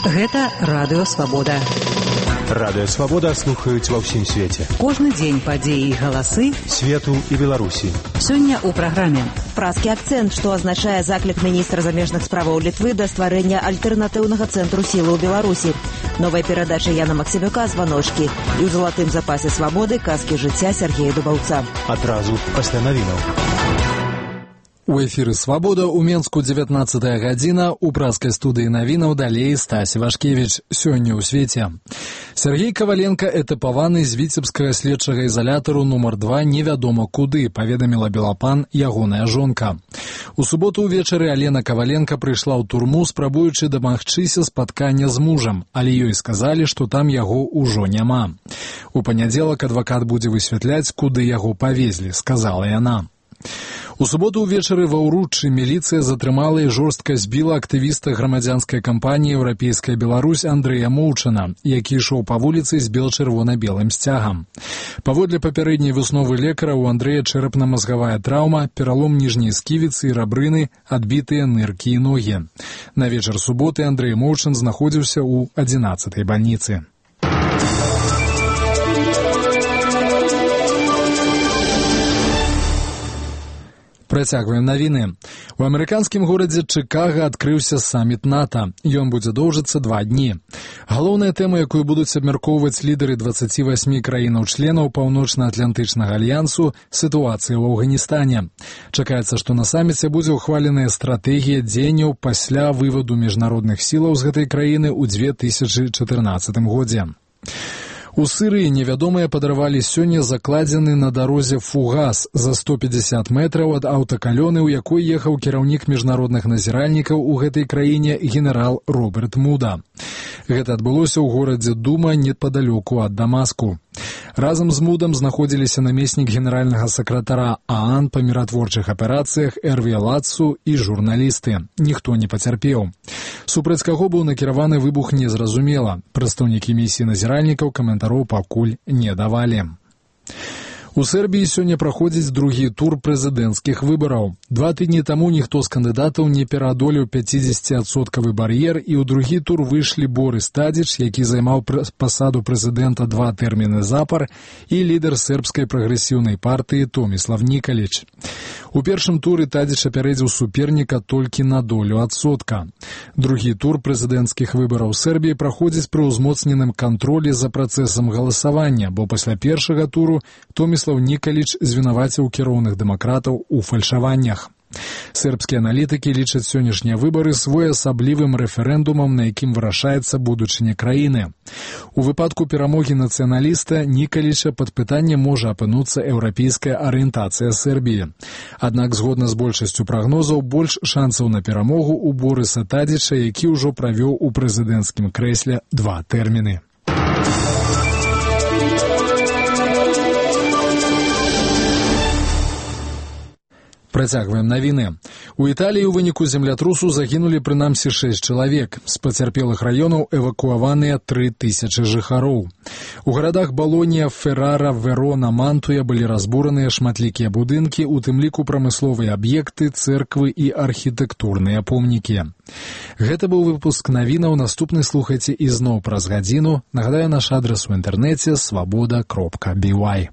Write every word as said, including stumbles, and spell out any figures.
Гэта Радыё Свабода. Радыё Свабода слухаюць ва ўсім свеце. Кожны дзень падзеі і галасы свету і Беларусі. Сёння ў праграме. Празкі акцэнт, што азначае заклік міністра замежных справаў Літвы да стварэння альтэрнатыўнага цэнтру сілы ў Беларусі. Новая перадача Яна Максімюка «Званочкі» і ў залатым запасе свабоды казкі жыцця Сергея Дубаўца. Адразу пасля навінаў. У эфіры «Свабода» у Менску дзевятнаццатая гадзіна, у празкай студыі навінаў далей Стась Вашкевіч. Сёння ў свеце. Сергей Каваленко этапаваны з віцебскага следчага ізалятару нумар два невядома куды, паведаміла Белапан ягоная жонка. У суботу ўвечары Алена Каваленко прыйшла ў турму, спрабуючы дамагчыся спаткання з мужам, але ёй сказалі, што там яго ўжо няма. У панядзелак адвакат будзе высвятляць, куды яго павезлі, сказала яна. У суботу ўвечары ва ўруччы міліцыя затрымала і жорстка збіла актывіста грамадзянскай кампаніі «Еўрапейская Беларусь» Андрэя Моўчана, які ішоў па вуліцы з бел-чырвона-белым сцягам. Паводле папярэдняй высновы лекара, у Андрэя чэрапна-мазгавая траўма, пералом ніжняй сківіцы і рабрыны, адбітыя ныркі і ногі. На вечар суботы Андрэй Моўчан знаходзіўся ў адзінаццатай бальніцы. Працягваем навіны. У амерыканскім горадзе Чыкага адкрыўся саміт НАТО. Ён будзе доўжыцца два дні. Галоўная тэма, якую будуць абмяркоўваць лідары дваццаці васьмі краінаў-членаў Паўночна-Атлантычнага альянсу – сітуацыя ў Афганістане. Чакаецца, што на саміце будзе ўхваленая стратэгія дзеянняў пасля вываду міжнародных сілаў з гэтай краіны ў дзве тысячы чатырнаццатым годзе. У Сырыі невядомыя падарвалі сёння закладзены на дарозе фугас за сто пятьдесят метраў ад аўтакалёны, у якой ехаў кіраўнік міжнародных назіральнікаў у гэтай краіне генерал Роберт Муда. Гэта адбылося ў горадзе Дума непадалёку ад Дамаску. Разам з Мудам знаходзіліся намеснік генеральнага сакратара ААН па міратворчых аперацыях Эрві Лацу і журналісты. Ніхто не пацярпеў. Супраць каго быў накіраваны выбух, незразумела. Прадстаўнікі місіі назіральнікаў каментароў пакуль не давалі. У Сербіі сёння праходзіць другі тур прэзідэнцкіх выбараў. Два тыдні таму ніхто з кандыдатаў не пераадолеў пяцідзесяціадсоткавы бар'ер, і ў другі тур выйшлі Борис Тадзіч, які займаў пасаду прэзідэнта два тэрміны запар, і лідар сербскай прагрэсіўнай партыі Томіслав Нікаліч. У першым туры Тадзіч апярэдзіў суперніка толькі на долю адсотка. Другі тур прэзідэнцкіх выбараў Сербіі праходзіць пры ўзмоцненым кантролі за працэсам галасавання, бо пасля першага туру Томіслав Нікаліч звінаваціў кіроўных дэмакратаў у фальшаваннях. Сербскія аналітыкі лічаць сённяшнія выбары своеасаблівым рэферэндумам, на якім вырашаецца будучыня краіны. У выпадку перамогі нацыяналіста Нікаліча пад пытанне можа апынуцца еўрапейская арыентацыя Сербіі. Аднак, згодна з большасцю прагнозаў, больш шансаў на перамогу у Борыса Тадзіча, які ўжо правёў у прэзідэнцкім крэсле два тэрміны. Працягваем навіны. У Італіі ў выніку землятрусу загінулі прынамсі шэсць чалавек. З пацярпелых раёнаў эвакуаваныя тры тысячы жыхароў. У гарадах Балонія, Феррара, Верона, Мантуя былі разбураныя шматлікія будынкі, у тым ліку прамысловыя аб'екты, цэрквы і архітэктурныя помнікі. Гэта быў выпуск навінаў. Наступны слухайце ізноў праз гадзіну. Нагадаю, наш адрас у інтэрнэце свабода кропка бі вай.